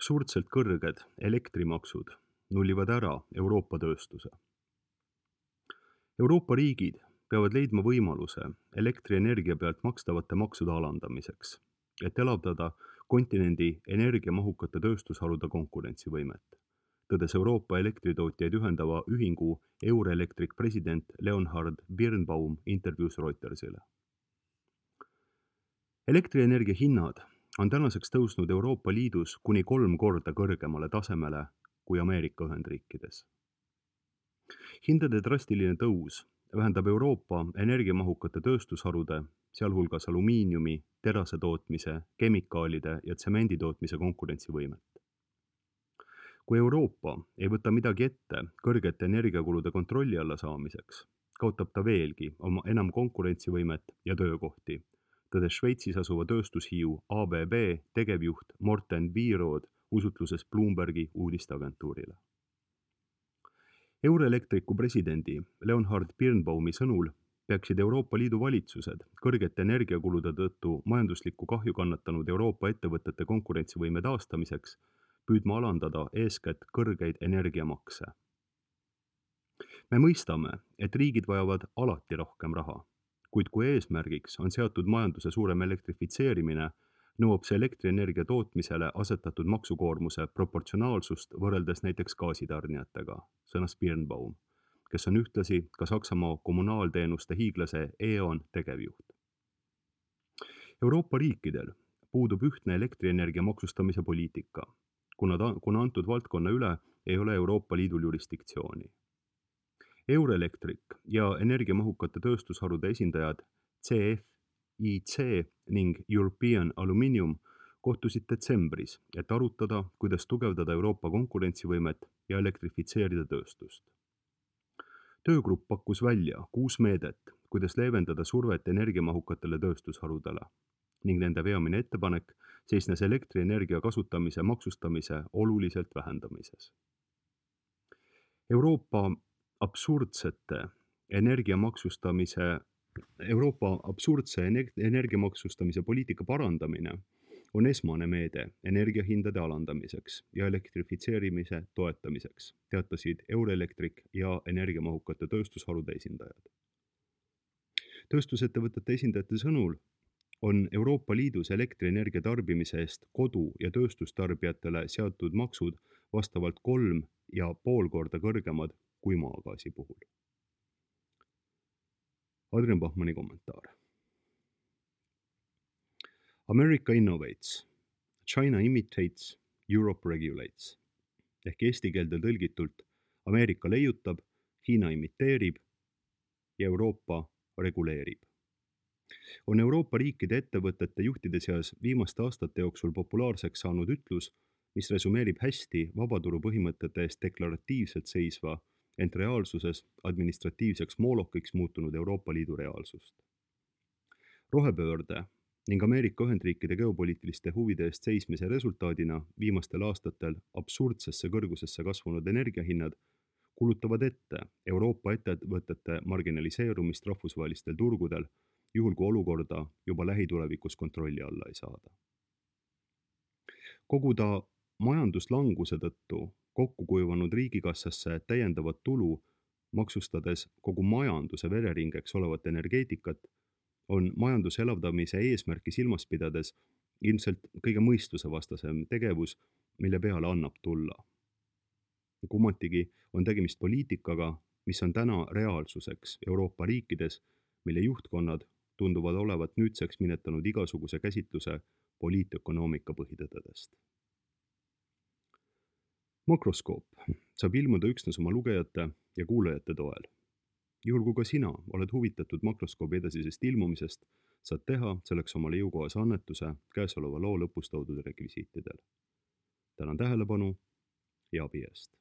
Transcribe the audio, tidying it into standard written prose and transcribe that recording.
Absurdselt kõrged elektrimaksud nullivad ära Euroopa tööstuse. Euroopa riigid peavad leidma võimaluse elektrienergia pealt makstavate maksude alandamiseks, et elavdada kontinendi energiamahukate tööstusharude konkurentsivõimet, tõdes Euroopa elektritootjaid ühendava ühingu Eurelectric president Leonhard Birnbaum intervjuus Reutersile. Elektrienergia hinnad on tänaseks tõusnud Euroopa Liidus kuni 3 korda kõrgemale tasemele kui Ameerika Ühendriikides. Hindade drastiline tõus vähendab Euroopa energiamahukate tööstusharude, sealhulgas alumiiniumi, terase tootmise, kemikaalide ja tsemendi tootmise konkurentsivõimet. Kui Euroopa ei võta midagi ette kõrgete energiakulude kontrolli alla saamiseks, kaotab ta veelgi oma enam konkurentsivõimet ja töökohti, tõdes Šveitsis asuva tööstushiiu ABB tegevjuht Morten Wierood usutluses Bloombergi uudisteagentuurile. Eurelectricu presidendi Leonhard Birnbaumi sõnul peaksid Euroopa Liidu valitsused kõrgete energiakulude tõttu majanduslikku kahju kannatanud Euroopa ettevõtete konkurentsivõime taastamiseks püüdma alandada eeskätt kõrgeid energiamakse. Me mõistame, et riigid vajavad alati rohkem raha, kuid kui eesmärgiks on seatud majanduse suurem elektrifitseerimine, nõuab see elektrienergia tootmisele asetatud maksukoormuse proportsionaalsust võrreldes näiteks gaasitarnijatega, sõnas Birnbaum, kes on ühtlasi ka Saksamaa kommunaalteenuste hiiglase E.ON tegevjuht. Euroopa riikidel puudub ühtne elektrienergia maksustamise poliitika, kuna antud valdkonna üle ei ole Euroopa Liidul jurisdiktsiooni. Eurelectric ja energiamahukate tööstusharude esindajad CFIC ning European Aluminium kohtusid detsembris, et arutada, kuidas tugevdada Euroopa konkurentsivõimet ja elektrifitseerida tööstust. Töögrupp pakkus välja 6 meedet, kuidas leevendada survet energiamahukatele tööstusharudele, ning nende peamine ettepanek seisnes elektrienergia kasutamise maksustamise oluliselt vähendamises. Euroopa absurdse energiamaksustamise poliitika parandamine on esmane meede energiahindade alandamiseks ja elektrifitseerimise toetamiseks, teatasid Eurelectric ja energiamahukate tööstusharude esindajad. Tööstusettevõtete esindajate sõnul on Euroopa Liidus elektrienergia tarbimise eest kodu- ja tööstustarbijatele seatud maksud vastavalt 3,5 korda kõrgemad kui maagaasi puhul. Adrian Bachmanni kommentaar. America innovates, China imitates, Europe regulates. Ehk eesti keelde tõlgitult Ameerika leiutab, Hiina imiteerib ja Euroopa reguleerib. On Euroopa riikide ettevõtete juhtide seas viimaste aastate jooksul populaarseks saanud ütlus, mis resumeerib hästi vabaturu põhimõtete eest deklaratiivselt seisva, ent reaalsuses administratiivseks moolokiks muutunud Euroopa Liidu reaalsust. Rohepöörde ning Ameerika Ühendriikide geopoliitiliste huvide eest seismise resultaadina viimastel aastatel absurdsesse kõrgusesse kasvanud energiahinnad kulutavad ette Euroopa ettevõtete marginaliseerumist rahvusvahelistel turgudel, juhul kui olukorda juba lähitulevikus kontrolli alla ei saada. Koguda majanduslanguse tõttu kokku kuivanud riigikassasse täiendavat tulu, maksustades kogu majanduse vereringeks olevat energeetikat, on majanduse elavdamise eesmärki silmas pidades ilmselt kõige mõistusevastasem tegevus, mille peale annab tulla. Kummatigi on tegemist poliitikaga, mis on täna reaalsuseks Euroopa riikides, mille juhtkonnad tunduvad olevat nüüdseks minetanud igasuguse käsitluse poliitökonoomika põhitõdedest. Makroskoop saab ilmuda üksnes oma lugejate ja kuulajate toel. Juhul kui ka sina oled huvitatud Makroskoobi edasisest ilmumisest, saad teha selleks omale jõukohase annetuse käesoleva loo lõpus toodud rekvisiitidel. Tänan tähelepanu ja abi eest.